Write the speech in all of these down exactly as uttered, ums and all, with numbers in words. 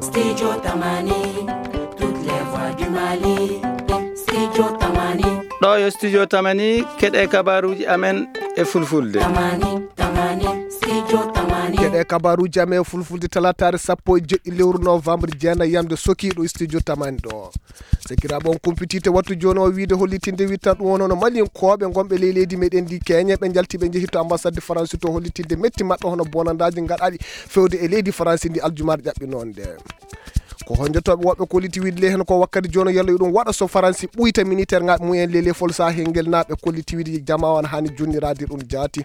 Studio Tamani, toutes les voix du Mali. Studio Tamani. Ɗo yo Studio Tamani, keɗe kabaruji amen e fulfulde. Tamani, Tamani, Studio Tamani. Keɗe kabaruji amen e fulfulde, talataare sappo e jeɗɗi lewru novembre, jeenayi yamde soki ɗo Studio Tamani ɗo. Sakiraaɓe, on kumpititte wattu jooni o wiide hollitinde wittan ɗum won hono Malinkooɓe ngonɓe ley leydi meɗen ndi Kenya, ɓe njalti ɓe njehi to ambassade de France to hollitinde metti maɓɓe hono bonandaaji ngaɗaaɗi fewde e leydi France ndi aljumaare ƴaɓɓinoonde. Ko honjotooɓe woɓɓe kolliti wiide ley heen ko wakkati jooni yalla yo ɗum waɗa so Faransi ɓuyta militaire ngaɓe mumen ley lefol sahel ngel, naa ɓe kolliti wiide jamaa on haani jonniraade ɗum jaati.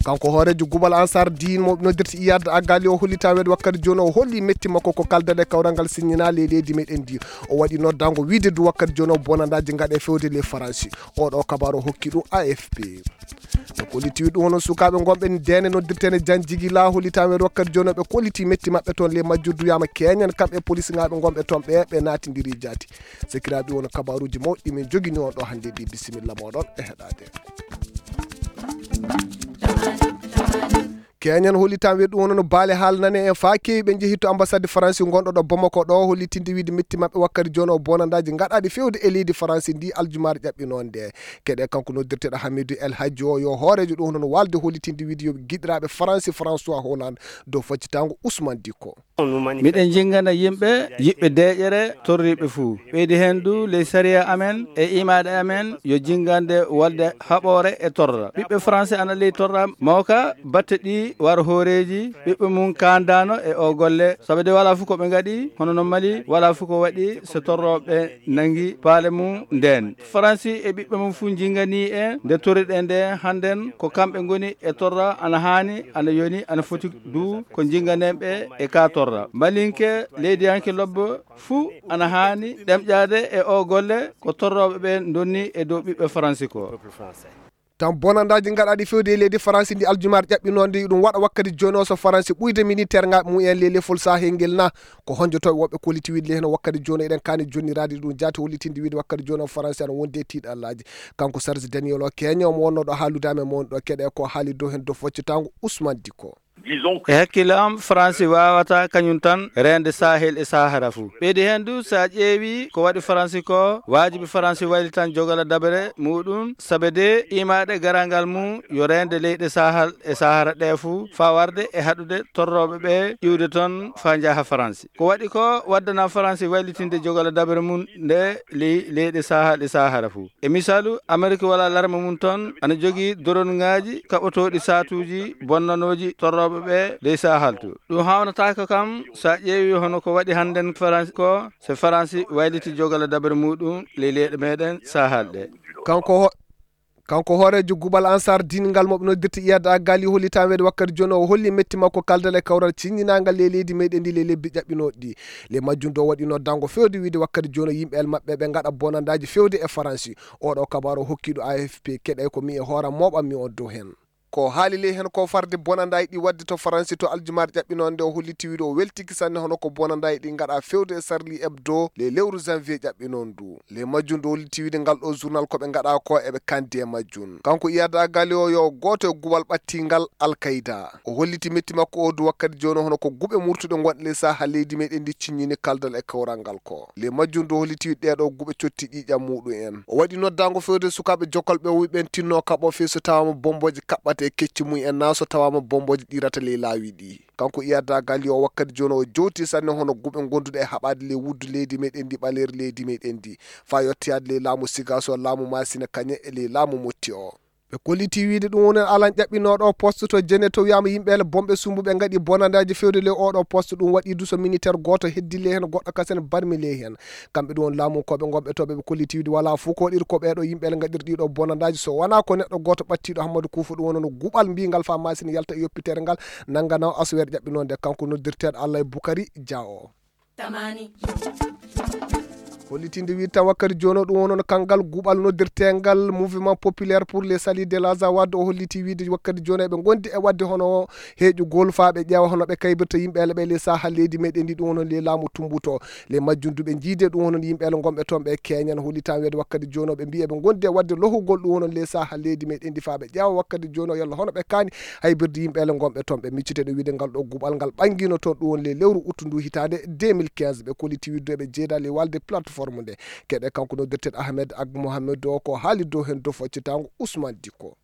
Kanko hooreejo Gubal Ansar Diin mo noddirta Iyad Agali o hollita weedo wakkati jooni o holli metti makko ko kaldal e kawral ngal siññinaa ley leydi meɗen ndi. O waɗi noddango wiide du wakkati jooni o bonandaaji ngaɗe fewde ley Faransi. Oɗo kabaru o hokki ɗum A F P. Ɓe kolliti ɗum hono sukaaɓe ngonɓe ndeene noddirteene Jan Jigila hollita weedo wakkati jooni ɓe kolliti metti maɓɓe toon ley majjuddu wiyaama keñen kamɓe polisinaaɓe ngonɓe toon ɓe ɓe naatindiri jaati. Sakiraaɓe, won kabaruuji mawɗi min jogini on ɗo hannde ɗi. Bisimilla mooɗon e heɗaade. Keñen hollitan we ɗum wonno baale haalnane en faa keewi ɓe njehi to ambassade Faransi ngonɗo ɗo Bamako ɗo hollitinde wiide metti maɓɓe wakkati jooni o bonandaaji ngaɗaaɗi fewde e leydi Faransi ndi aljumaare ƴaɓɓinoonde. Keɗe kanko noddirteeɗo Hamidou El Hadji o yo hooreejo ɗum wonno waalde hollitinde wiide yo giɗiraaɓe Faransi François Hollande dow faccitango Ousmane Dicko. Miɗen jinngana yimɓe yiɗɓe deeƴere torriiɓe fuu. Ɓeydi heen du ley sariya amen e imaɗe amen yo jinngande wolde haɓoore e torra. Ɓiɓɓe Faransi ana ley torra mawka batte ɗi war hooreeji ɓiɓɓe mum kaandaano e o golle. Sabu de walaa fof ko ɓe ngaɗi, hono no Mali, walaa fof ko waɗi so torrooɓe nangi paale mum ndeen. Faransi e ɓiɓɓe mum fuu njinganii en nde torriɗen nde hannden ko kamɓe ngoni e torra ana haani, ana yoni, ana foti du ko njinganen ɓe e ka torra. Malinke, leydiyanke lobbo fuu ana haani ɗemƴaade e o golle ko torrooɓe ɓe ndonni e dow ɓiɓɓe Faransi ko. Tan bonandaaji ngaɗaaɗi fewde e leydi Faransi ndi aljumaare ƴaɓɓinoonde ɗum waɗa wakkati jooni o so Faransi ɓuyde militaire ngaɓe mumen ley lefol sahel ngel na. Ko honjotooɓe woɓɓe kolliti wiide ley heen wakkati jooni eɗen kaani jonniraade ɗum jaati hollitinde wiide wakkati jooni o Faransi ana wondi e tiiɗallaaji. Kanko Serge Daniel o keño mo wonnoo ɗo haalude amen mo woni ɗo keɗe ko haali dow heen dow foccitaango Ousmane Dicko. E hakkille am, Faransi waawataa kañum tan reende Sahel e Sahara fuu. Ɓeydi heen du, so a ƴeewii ko waɗi Faransi ko, waajibi Faransi waylitan jogala dabere muuɗum, sabe de imaɗe garal ngal mum yo reende leyɗe Sahel e Sahara ɗe fuu, faa warde e haɗude torrooɓe ɓe iwde toon faa njaha Faransi. Ko waɗi ko waddana Faransi waylitinde jogala dabere mum nde ley leyɗe Sahel e Sahara fuu. E misaalu, Amerik walla larme mum toon ana jogii doronŋaaji kaɓotooɗi saatuuji bonnanooji torrooɓe ɓe ley Sahel to. Ɗum haawnataako kam so a ƴeewii hono ko waɗi hannden Faransi ko, so Faransi wayliti jogala dabere muuɗum ley leyɗe meɗen Sahel ɗe. Kanko ho-, kanko hooreejo Gubal Ansar Diin ngal mo ɓe noddirta Iyad Agali hollitaama weedo wakkati jooni o holli metti makko kaldal e kawral ciññinaangal ley leydi meɗen ndi ley lebbi ƴaɓɓinooɗi ɗi. Ley majjum do waɗi noddango fewde wiide wakkati jooni yimɓe el maɓɓe ɓe ngaɗa bonandaaji fewde e Faransi. Oɗo kabaru o hokki ɗo A F P keɗe ko mi e hooram mooɓammi on dow heen. Ko haali ley heen ko farde bonandaaji ɗi waɗde to Faransi to aljumaare ƴaɓɓinoonde o holliti wiide o weltiki sanne hono ko bonandaaji ɗi ngaɗa fewde e Charlie Hebdo ley lewru janvier ƴaɓɓinoon ndu. Ley majjum ndu holliti wiide ngal ɗo journal ko ɓe ngaɗa ko eɓe kandi e majjum. Kanko Iyad Agali o yo gooto e gubal ɓattingal Al Qaida. O holliti metti makko o du wakkati jooni hono ko guɓe murtuɗe ngonɗe ley Sahel leydi meɗen ndi ciññini kaldal e kawral ngal ko. Ley majjum ndu holliti wiide ɗeɗo guɓe cotti ƴiiƴam muɗum en. O waɗi noddango fewde sukaaɓe jokalɓe o wi ɓen tinno kaɓo fii so tawaama bombooje kaɓɓata e kecci mum en naa so tawaama bombooje ɗirata ley laawi ɗi. Kanko Iyad Agali o wakkati jooni o jowti sanne hono guɓe gonduɗe e haɓaade ley wuddu leydi meɗen ndi ɓaleeri leydi meɗen ndi. Faa yottoyaade ley laamu Sigaso, laamu Masina Kañe e ley laamu Motti o. Ɓe kolliti wiide ɗum woni alan ƴaɓɓinooɗo poste to Jene to wiyaama yimɓe ele bomɓe sumbuɓe ngaɗi bonandaaji fewde ley oɗo poste ɗum waɗi du so militaire gooto heddi ley heen goɗɗo kasen barmi ley heen. Kamɓe ɗum woni laamu koɓe ngonɓe to ɓe ɓe kolliti wiide walaa fof ko waɗiri ko ɓeeɗo yimɓe ele ngaɗiri ɗiɗo bonandaaji so wonaa ko neɗɗo gooto ɓattiiɗo Hammadu Kuufa ɗum woni no guɓal mbiingal faa masini yalta e yoppitere ngal nanganaw asweer ƴaɓɓinoonde kanko noddirteeɗo Allah e Bukari Dia o. Tamani. Hollitinde wiide tan wakkati jooni o, ɗum woni noon kanngal guɓal noddirteengal Mouvement Populaire pour le Salut de l'Azawad, o holliti wiide wakkati jooni o eɓe ngondi e waɗde hono heeƴugol faa ɓe ƴeewa hono ɓe kaybirta yimɓe ele ɓe le saha leydi meɗen ndi, ɗum woni le laamu tumbuto. Le majjum du ɓe njiide ɗum woni yimɓe ele ngonɓe toon ɓe keñan, hollita wiide wakkati jooni o ɓe mbiyi eɓe ngondi e waɗde lohugol ɗum woni le saha leydi meɗen ndi faa ɓe ƴeewa wakkati jooni o yalla hono ɓe kaani haybirde yimɓe ele ngonɓe toon. Ɓe miccite ɗo wiide ngal ɗo guɓal ngal ɓanngino toon ɗum woni le lewru uttu ndu hitaande deux mille quinze. Ɓe kolliti wiide eɓe jeeda le walde plateforme nde. Keɗe kanko noddirteeɗo Ahmed Ag Mohamed o ko haali dow heen dow foccitaango Ousmane Dicko.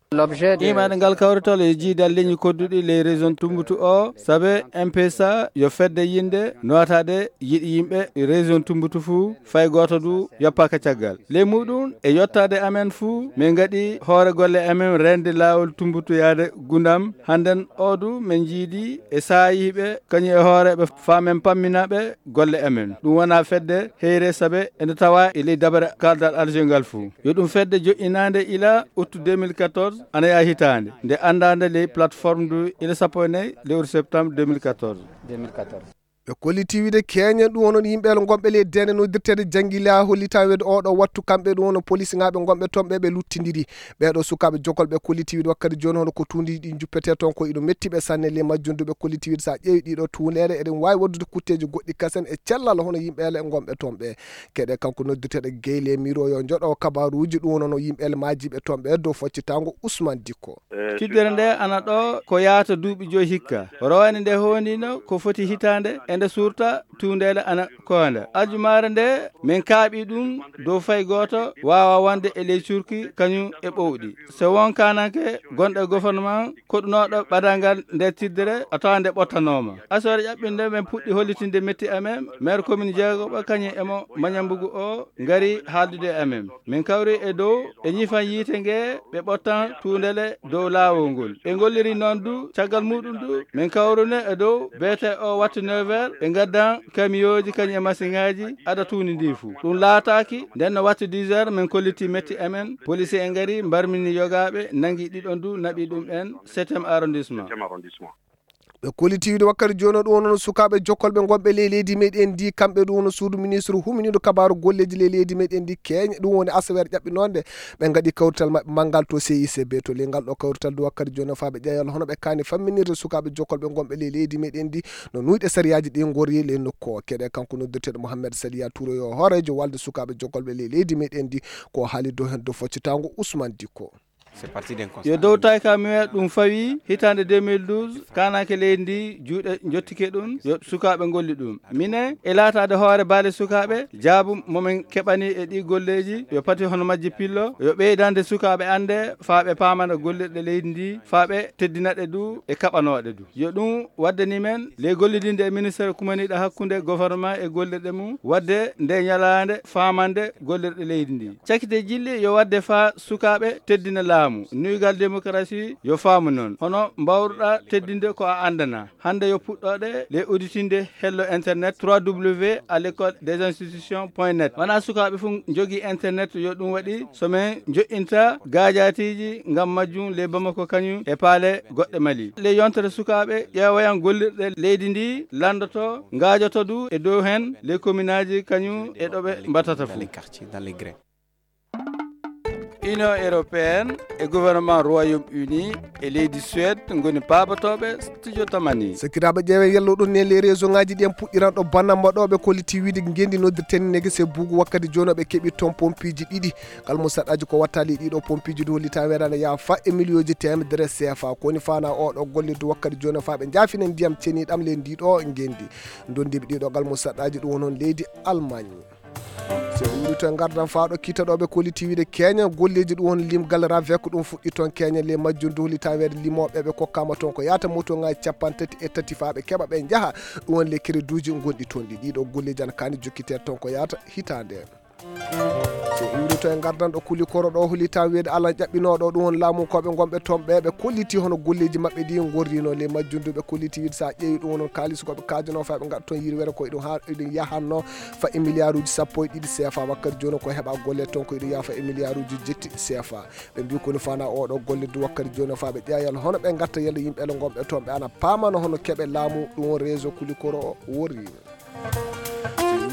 Imaade ngal kawrital e jiidal leñi kodduɗi ley région Tumbutu o, sabe M P S A yo fedde yinde nootaade yiɗi yimɓe région Tumbutu fuu, fay gooto du yoppaaka caggal. Ley muɗum e yottaade amen fuu, min ngaɗi hoore golle amen reende laawol Tumbutu yaade Gundam. Hannden o du min njiidi e saayiiɓe kañum e hoore ɓe faa min pammina ɓe golle amen. Ɗum wonaa fedde heyre sabe ene tawa e ley dabare kaldal Alger ngal fuu. Yo ɗum fedde joƴƴinaande ila août deux mille quatorze, ana yaha hitaande nde anndaande ley plateforme du ila sappo e nayi lewru septembre deux mille quatorze. Ɓe kolliti wiide keñen ɗum wonon yimɓe ele ngonɓe ley dende noddirteede Jangila hollita wiide oɗo wattu kamɓe ɗum wono polisinaaɓe ngonɓe toon ɓe ɓe luttindiri. Ɓeeɗo sukaaɓe jokol ɓe kolliti wiide wakkati jooni hono ko tuundi ɗi juppetee toon ko iɗo metti ɓe sanne ley majjum du ɓe kolliti wiide so a ƴeewi ɗiɗo tuundeere eɗen waawi waɗdude kutteeji goɗɗi kasen e cellal hono yimɓe ele ngonɓe toon ɓe. Keɗe kanko noddirteeɗo Gueye le Miro yo joɗo kabaruuji ɗum wonono yimɓe ele maajiiɓe toon ɓe dow foccitaango Ousmane Dicko. Tiddere nde ana ɗo ko yaata duuɓi joyi hikka. Rowani nde hoondiino ko foti hitaande e nde suurta tuundeele ana koonda. Aljumaare nde min kaaɓi ɗum dow fay gooto waawa wonde e ley curki kañum e ɓowɗi. So won kaananke gonɗo e gouvernement koɗunooɗo ɓadal ngal nde tiddere a tawa nde ɓottanooma. Asoore ƴaɓɓinde min puɗɗi hollitinde metti amen maire commune jeegoɓo kañum e mo Mañambugu o ngari haaldude e amen. Min kawri e dow e ñifan yiite nge ɓe ɓottan tuundele dow laawol ngol. Ɓe ngolliri noon du caggal muɗum du min kawrune e dow beete o wattu neuf heures ɓe ngaddan kamiyooji kañum e masiŋaaji ada tuundi ndi fuu. Ɗum laataaki nden no wattu dix heures min kolliti metti amen. Polisi en ngari mbarmini yogaaɓe nangi ɗiɗon du naɓi ɗum en septième arrondissement. Ɓe kolliti wiide wakkati jooni o ɗum wonno sukaaɓe jokkolɓe ngonɓe ley leydi meɗen ndi kamɓe ɗum wonno suudu ministre huminiiɗo kabaaru golleeji ley leydi meɗen ndi keeña ɗum woni asaweere ƴaɓɓinoonde ɓe ngaɗi kawrital maɓɓe manngal to C I C B to ley ngal ɗo kawrital du wakkati jooni o faa ɓe ƴeewa hono ɓe kaani famminirde sukaaɓe jokkolɓe ngonɓe ley leydi meɗen ndi no nuyɗe sariyaaji ɗi ngori ley nokku o. Keɗe kanko noddirteeɗo Mohamed Saliya Touré yo hooreejo walde sukaaɓe jokkolɓe ley leydi meɗen ndi ko haali dow heen dow foccitaango Ousmane Dicko. Yo dow tayka muya ɗum fawi hitaande deux mille douze kaananke leydi ndi juuɗe njottike ɗum yo sukaaɓe ngolli ɗum. Minen e laataade hoore baale sukaaɓe jaabu momin keɓani e ɗi golleeji yo pati hono majji pillo yo ɓeydande sukaaɓe annde faa ɓe paamana gollirɗe leydi ndi faa ɓe teddina ɗe du e kaɓanooɗe du. Yo ɗum waddani men ley gollidinde e ministere kumaniiɗo hakkunde gouvernement e gollirɗe mum waɗde nde ñalaande faamande gollirɗe leydi ndi. Cakite jilli yo waɗde faa sukaaɓe teddina laamu. Nuygal démocratie yo faamu noon. Hono mbaawruɗaa teddinde ko a anndanaa. Hannde yo puɗɗoɗe le auditinde hello internet trois W à l'école des institutions point net. Wonaa sukaaɓe fof njogii internet yo ɗum waɗi so min njoƴƴinta gaajaatiiji ngam majjum ley Bamako kañum e paale goɗɗe Mali. Le yontere sukaaɓe ƴeewoyan gollirɗe leydi ndi lanndoto ngaajoto du e dow heen ley kominaaji kañum e ɗo ɓe mbattata fof. Union européenne e gouvernement Royaume-Uni e leydi Suède ngoni paabotooɓe studio Tamani. Sakiraaɓe ƴeewe yallo ɗon ne les région ngaji ɗi en puɗɗiran ɗo bannamba ɗo ɓe kolliti wiide ngendi noddirten nege se bugu wakkati jono ɓe keɓi toon pompiji ɗiɗi. Kala mo saɗɗaji ko wattali ɗiɗo pompiji du hollita weɗana yaha fa e miliyonji temedere C F A ko woni fana o ɗo gollirde wakkati jono fa ɓe jaafina ndiyam ceniɗam ley ndi ɗo ngendi. Dondiɓe ɗiɗo kala mo saɗɗaji ɗum woni on leydi Allemagne. So en uurito e ngardan faa ɗo kittaɗooɓe kolliti wiide keeña golleeji ɗum woni limgal ravec ɗum fuɗɗi toon keeña le majjum duhli taweede limooɓe ɓe kokkaama toon ko yaata moto ngaji capanɗe tati e tati faa ɓe keɓa ɓe njaha ɗum woni le kereduuji gonɗi toon ɗi ɗiɗo golleeji ana kaani jokkiteede toon ko yaata hitaande. So uurito e ngardan ɗo kuli koro ɗo holi taweede alan ƴaɓɓinooɗo ɗum woni laamu koɓe ngonɓe toon ɓe ɓe kolliti hono golleeji maɓɓe ɗi ngorrino le majjum du ɓe kolliti wiide so a ƴeewi ɗum woni kaalis koɓe kaajanoo faa ɓe ngaɗa toon yirwere ko iɗum haa iɗum yahanno fa e milliarduji sappo e ɗiɗi C F A wakkati jooni ko heɓa golle toon ko iɗum yaha fa e milliarduji jetti C F A. Ɓe mbi koni fana oɗo golle du wakkati jooni faa ɓe ƴeewa yalla hono ɓe ngatta yalla yimɓe ele ngonɓe toon ɓe ana paamano hono keɓe laamu ɗum won réseau kulikoro o worri.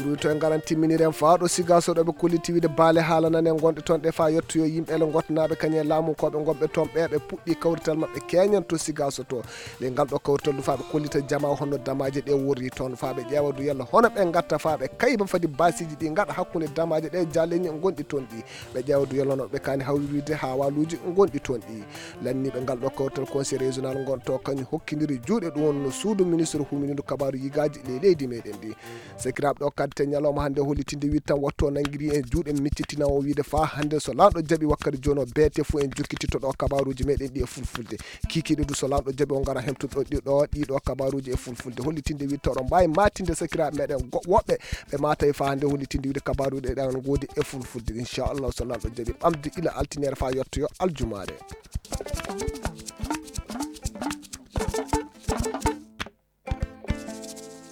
So Ɗum to en ngaran timminiren faa ɗo Sigaso ɗo ɓe kolliti wiide baale haala nan en gonɗe toon ɗe faa yettoyo yimɓe ele ngottanaaɓe kañum e laamu ko ɓe gonɓe toon ɓe ɓe puɗɗi kawrital maɓɓe keñan to Sigaso to. Nde ngal ɗo kawrital ɗum faa ɓe kollita jama honno damaaje ɗe worri toon faa ɓe ƴeewa du yalla hono ɓe ngatta faa ɓe kayba fadi baasiiji ɗi ngaɗa hakkunde damaaje ɗe jaleñi gonɗi toon ɗi. Ɓe ƴeewa du yalla hono ɓe kaani hawrirde haa waaluuji gonɗi toon ɗi. Lanniiɓe ngal ɗo kawrital conseil régional ngon to kañum hokkindiri juuɗe ɗum wonno suudu ministre humindu kabaaru yigaaji ley leydi meɗen ɗi. Sakiraaɓe ɗo kaddi te ñalawma hannde hollitinde wiide tan wattu o nanngiri en juuɗe miccitina o wiide faa hannde so laamɗo jaɓi wakkati jooni o beete fof en jokkititto ɗo kabaaruuji meɗen ɗi e fulfulde. Kiikiiɗe du so laamɗo jaɓi o ngara hemtude ɗo ɗi ɗo ɗi ɗo kabaaruuji e fulfulde hollitinde wiide taw ɗo mbaawi maatinde sakiraaɓe meɗen go- woɓɓe ɓe maata e faa hannde hollitinde wiide kabaaruuji ɗe ɗan ngoodi e fulfulde inchallah so laamɗo jaɓi ɓamde ila altiniere faa yettoyo aljumaare.